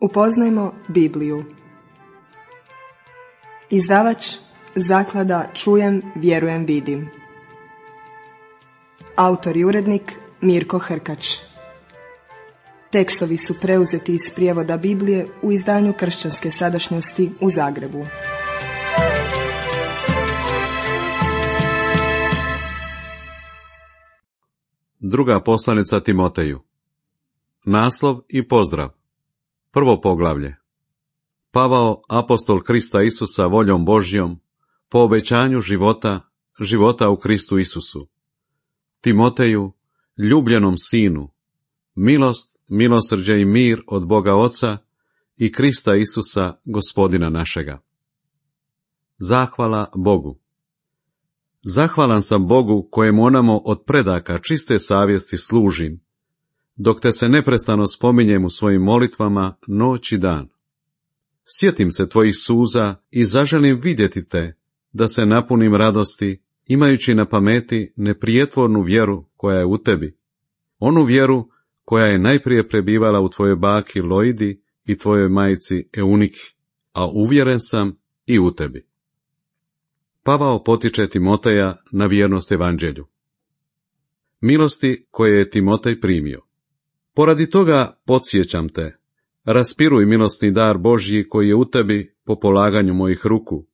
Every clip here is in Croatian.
Upoznajmo Bibliju. Izdavač Zaklada Čujem, vjerujem, vidim. Autor i urednik Mirko Hrkač. Tekstovi su preuzeti iz prijevoda Biblije u izdanju Kršćanske sadašnjosti u Zagrebu. Druga poslanica Timoteju. Naslov i pozdrav. Prvo poglavlje. Pavao, apostol Krista Isusa voljom Božjom, po obećanju života u Kristu Isusu. Timoteju, ljubljenom sinu, milost, milosrđe i mir od Boga Oca i Krista Isusa, Gospodina našega. Zahvala Bogu. Zahvalan sam Bogu kojemu onamo od predaka čiste savjesti služim, dok te se neprestano spominjem u svojim molitvama noć i dan. Sjetim se tvojih suza i zaželim vidjeti te, da se napunim radosti, imajući na pameti neprijetvornu vjeru koja je u tebi, onu vjeru koja je najprije prebivala u tvojoj baki Loidi i tvojoj majci Euniki, a uvjeren sam i u tebi. Pavao potiče Timoteja na vjernost evanđelju. Milosti koje je Timotej primio. Poradi toga podsjećam te, raspiruj milosni dar Božji koji je u tebi po polaganju mojih ruku,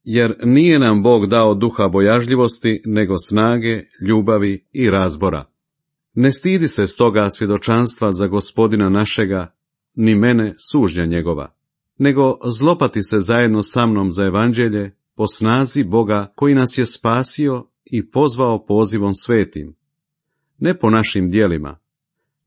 jer nije nam Bog dao duha bojažljivosti, nego snage, ljubavi i razbora. Ne stidi se stoga svjedočanstva za Gospodina našega, ni mene sužnja njegova, nego zlopati se zajedno sa mnom za evanđelje po snazi Boga koji nas je spasio i pozvao pozivom svetim, ne po našim djelima,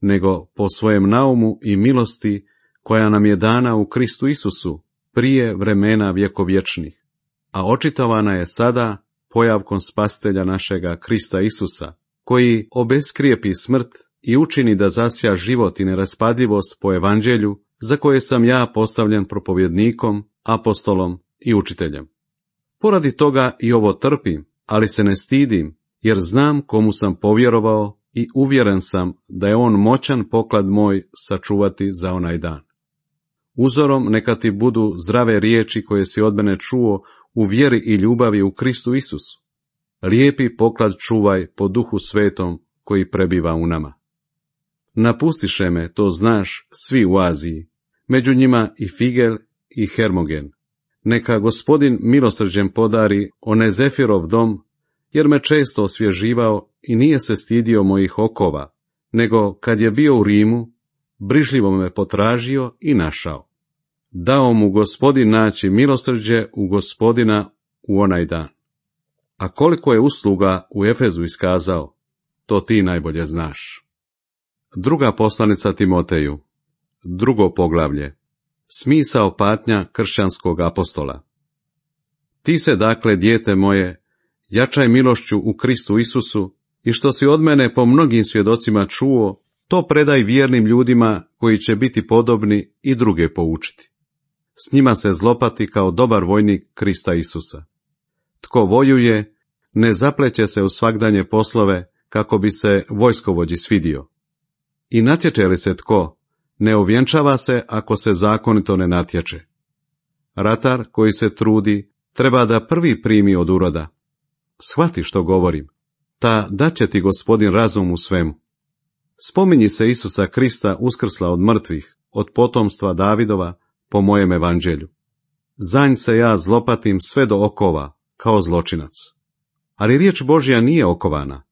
nego po svojem naumu i milosti koja nam je dana u Kristu Isusu prije vremena vjekovječnih, a očitovana je sada pojavkom Spasitelja našega Krista Isusa, koji obeskrijepi smrt i učini da zasja život i neraspadljivost po evanđelju, za koje sam ja postavljen propovjednikom, apostolom i učiteljem. Poradi toga i ovo trpim, ali se ne stidim, jer znam komu sam povjerovao i uvjeren sam da je on moćan poklad moj sačuvati za onaj dan. Uzorom neka ti budu zdrave riječi koje si od mene čuo u vjeri i ljubavi u Kristu Isusu. Lijepi poklad čuvaj po Duhu Svetom koji prebiva u nama. Napustiše me, to znaš, svi u Aziji, među njima i Figel i Hermogen. Neka Gospodin milosrđem podari Onezefirov dom, jer me često osvježivao i nije se stidio mojih okova, nego kad je bio u Rimu, brižljivo me potražio i našao. Dao mu Gospodin naći milosrđe u Gospodina u onaj dan. A koliko je usluga u Efezu iskazao, to ti najbolje znaš. Druga poslanica Timoteju. Drugo poglavlje. Smisao patnja kršćanskog apostola. Ti se dakle, dijete moje, jačaj milošću u Kristu Isusu i što si od mene po mnogim svjedocima čuo, to predaj vjernim ljudima koji će biti podobni i druge poučiti. S njima se zlopati kao dobar vojnik Krista Isusa. Tko vojuje, ne zapleće se u svagdanje poslove kako bi se vojskovođi svidio. I natječe li se tko, ne ovjenčava se ako se zakonito ne natječe. Ratar koji se trudi treba da prvi primi od uroda. Shvati što govorim, ta daće ti Gospodin razum u svemu. Spominji se Isusa Krista uskrsla od mrtvih, od potomstva Davidova, po mojem evanđelju. Za nj se ja zlopatim sve do okova, kao zločinac. Ali riječ Božja nije okovana.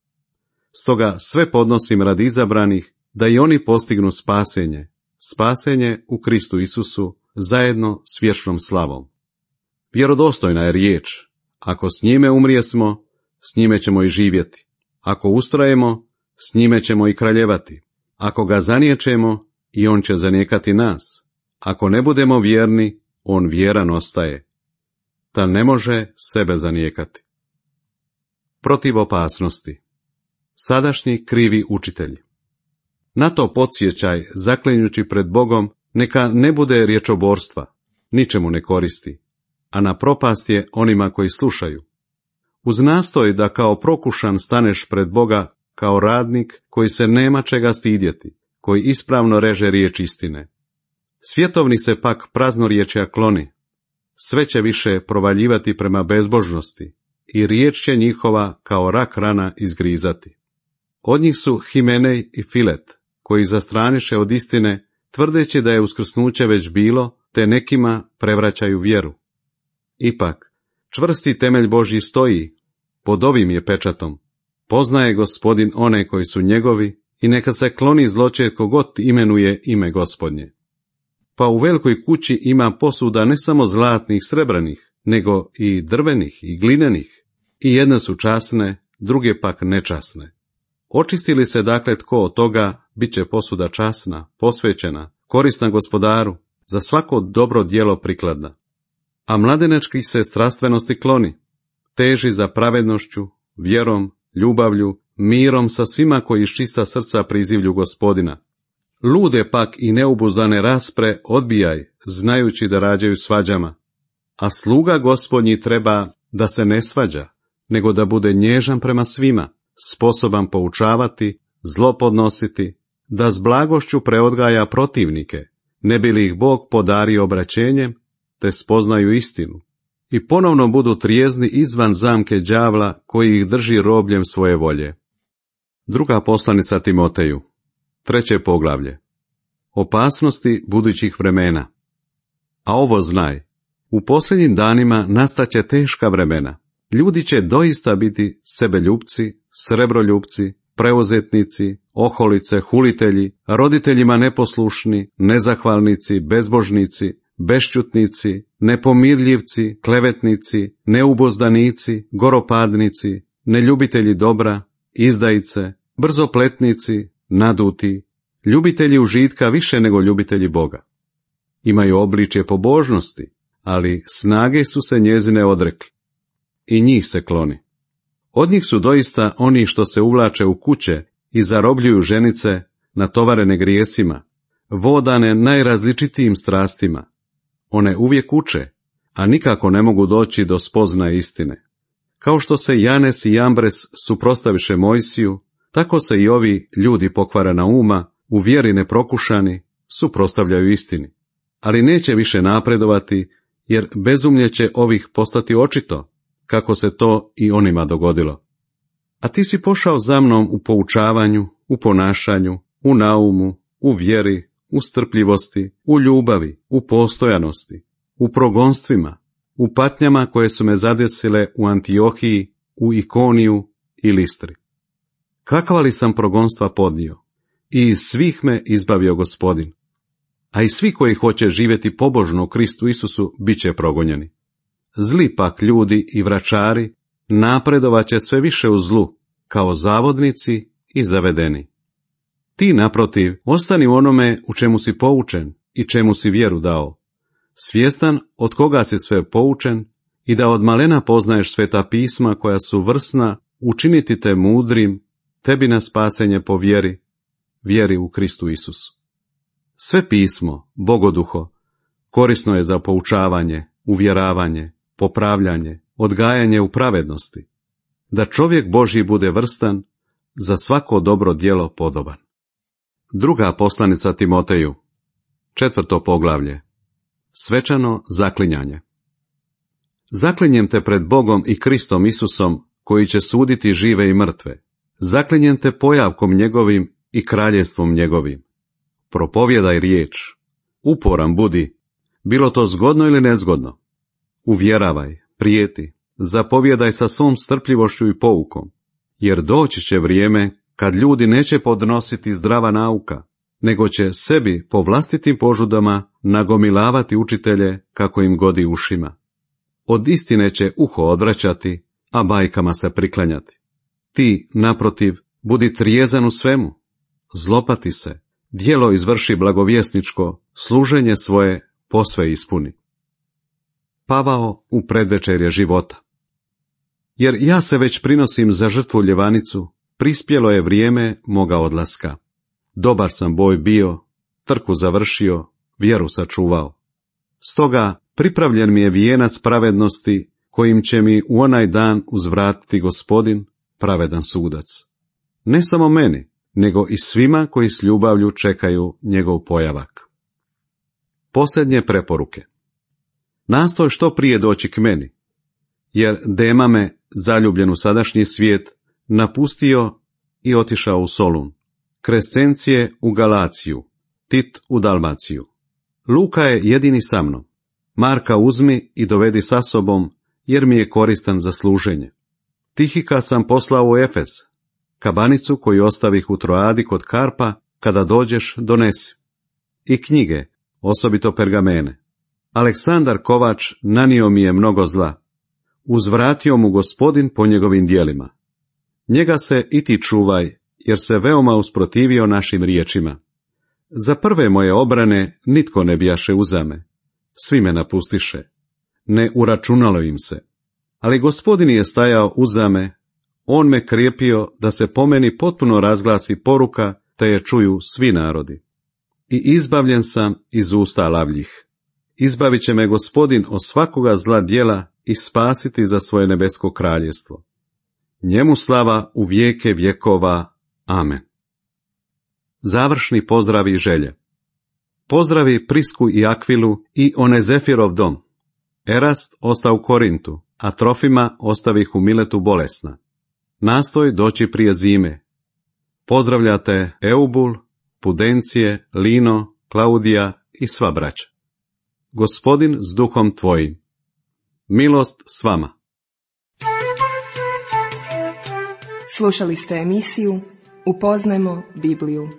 Stoga sve podnosim radi izabranih, da i oni postignu spasenje u Kristu Isusu, zajedno s vječnom slavom. Vjerodostojna je riječ, ako s njime umrijesmo, s njime ćemo i živjeti. Ako ustrajemo, s njime ćemo i kraljevati. Ako ga zaniječemo, i on će zanijekati nas. Ako ne budemo vjerni, on vjeran ostaje. Ta ne može sebe zanijekati. Protiv opasnosti. Sadašnji krivi učitelji. Na to podsjećaj, zaklinjući pred Bogom, neka ne bude riječoborstva, ničemu ne koristi, a na propast je onima koji slušaju. Uz nastoj da kao prokušan staneš pred Boga kao radnik koji se nema čega stidjeti, koji ispravno reže riječ istine. Svjetovni se pak praznorječja kloni, sve će više provaljivati prema bezbožnosti i riječ će njihova kao rak rana izgrizati. Od njih su Himenej i Filet, koji zastraniše od istine, tvrdeći da je uskrsnuće već bilo, te nekima prevraćaju vjeru. Ipak, čvrsti temelj Božji stoji, pod ovim je pečatom. Poznaje Gospodin one koji su njegovi i neka se kloni zločest kogod imenuje ime Gospodnje. Pa u velikoj kući ima posuda ne samo zlatnih, srebrnih, nego i drvenih i glinenih, i jedne su časne, druge pak nečasne. Očisti li se dakle tko od toga, bit će posuda časna, posvećena, korisna Gospodaru, za svako dobro djelo prikladna. A mladenečki se strastvenosti kloni, teži za pravednošću, vjerom, ljubavlju, mirom sa svima koji iz čista srca prizivlju Gospodina. Lude pak i neubuzdane raspre odbijaj, znajući da rađaju svađama. A sluga Gospodnji treba da se ne svađa, nego da bude nježan prema svima, sposoban poučavati, zlo podnositi, da s blagošću preodgaja protivnike, ne bi li ih Bog podario obraćenjem, te spoznaju istinu, i ponovno budu trijezni izvan zamke đavla koji ih drži robljem svoje volje. Druga poslanica Timoteju, 3. poglavlje. Opasnosti budućih vremena. A ovo znaj, u posljednjim danima nastaće teška vremena. Ljudi će doista biti sebeljupci, srebroljupci, preuzetnici, oholice, hulitelji, roditeljima neposlušni, nezahvalnici, bezbožnici, bešćutnici, nepomirljivci, klevetnici, neubozdanici, goropadnici, neljubitelji dobra, izdajice, brzopletnici, naduti, ljubitelji užitka više nego ljubitelji Boga. Imaju obličje pobožnosti, ali snage su se njezine odrekli. I njih se kloni. Od njih su doista oni što se uvlače u kuće i zarobljuju ženice, natovarene grijesima, vodane najrazličitijim strastima. One uvijek uče, a nikako ne mogu doći do spoznaje istine. Kao što se Janes i Jambres suprotstaviše Mojsiju, tako se i ovi ljudi pokvarena uma, u vjeri neprokušani, suprotstavljaju istini. Ali neće više napredovati, jer bezumlje će ovih postati očito, kako se to i onima dogodilo. A ti si pošao za mnom u poučavanju, u ponašanju, u naumu, u vjeri, u strpljivosti, u ljubavi, u postojanosti, u progonstvima, u patnjama koje su me zadesile u Antiohiji, u Ikoniju i Listri. Kakva li sam progonstva podnio? I iz svih me izbavio Gospodin. A i svi koji hoće živjeti pobožno u Kristu Isusu bit će progonjeni. Zli pak ljudi i vračari napredovaće sve više u zlu, kao zavodnici i zavedeni. Ti, naprotiv, ostani u onome u čemu si poučen i čemu si vjeru dao, svjestan od koga si sve poučen i da od malena poznaješ sveta pisma koja su vrsna učiniti te mudrim, tebi na spasenje po vjeri u Kristu Isusu. Sve pismo, Bogoduho, korisno je za poučavanje, uvjeravanje, popravljanje, odgajanje u pravednosti, da čovjek Božji bude vrstan, za svako dobro djelo podoban. Druga poslanica Timoteju, 4. poglavlje. Svečano zaklinjanje. Zaklinjem te pred Bogom i Kristom Isusom, koji će suditi žive i mrtve. Zaklinjem te pojavkom njegovim i kraljevstvom njegovim. Propovjedaj riječ, uporan budi, bilo to zgodno ili nezgodno. Uvjeravaj, prijeti, zapovjedaj sa svom strpljivošću i poukom, jer doći će vrijeme kad ljudi neće podnositi zdrava nauka, nego će sebi po vlastitim požudama nagomilavati učitelje kako im godi ušima. Od istine će uho odvraćati, a bajkama se priklanjati. Ti, naprotiv, budi trijezan u svemu, zlopati se, djelo izvrši blagovjesničko, služenje svoje posve ispuni. Pavao u predvečerje života. Jer ja se već prinosim za žrtvu ljevanicu, prispjelo je vrijeme moga odlaska. Dobar sam boj bio, trku završio, vjeru sačuvao. Stoga pripravljen mi je vijenac pravednosti, kojim će mi u onaj dan uzvratiti Gospodin, pravedan sudac. Ne samo meni, nego i svima koji s ljubavlju čekaju njegov pojavak. Posljednje preporuke. Nastoj što prije doći k meni, jer Dema me, zaljubljen u sadašnji svijet, napustio i otišao u Solun, Krescencije u Galaciju, Tit u Dalmaciju. Luka je jedini sa mnom. Marka uzmi i dovedi sa sobom, jer mi je koristan za služenje. Tihika sam poslao u Efes. Kabanicu koju ostavih u Troadi kod Karpa, kada dođeš, donesi. I knjige, osobito pergamene. Aleksandar Kovač nanio mi je mnogo zla. Uzvratio mu Gospodin po njegovim djelima. Njega se i ti čuvaj, jer se veoma usprotivio našim riječima. Za prve moje obrane nitko ne bijaše uzame. Svi me napustiše. Ne uračunalo im se. Ali Gospodin je stajao uzame, on me krijepio da se po meni potpuno razglasi poruka, te je čuju svi narodi. I izbavljen sam iz usta lavljih. Izbavit će me Gospodin od svakoga zla djela i spasiti za svoje nebesko kraljestvo. Njemu slava u vijeke vjekova. Amen. Završni pozdrav i želje. Pozdravi Prisku i Akvilu i Onezefirov dom. Erast osta u Korintu, a Trofima ostavih u Miletu bolesna. Nastoj doći prije zime. Pozdravljate Eubul, Pudencije, Lino, Klaudija i sva braća. Gospodin s duhom tvojim. Milost s vama. Slušali ste emisiju Upoznajmo Bibliju.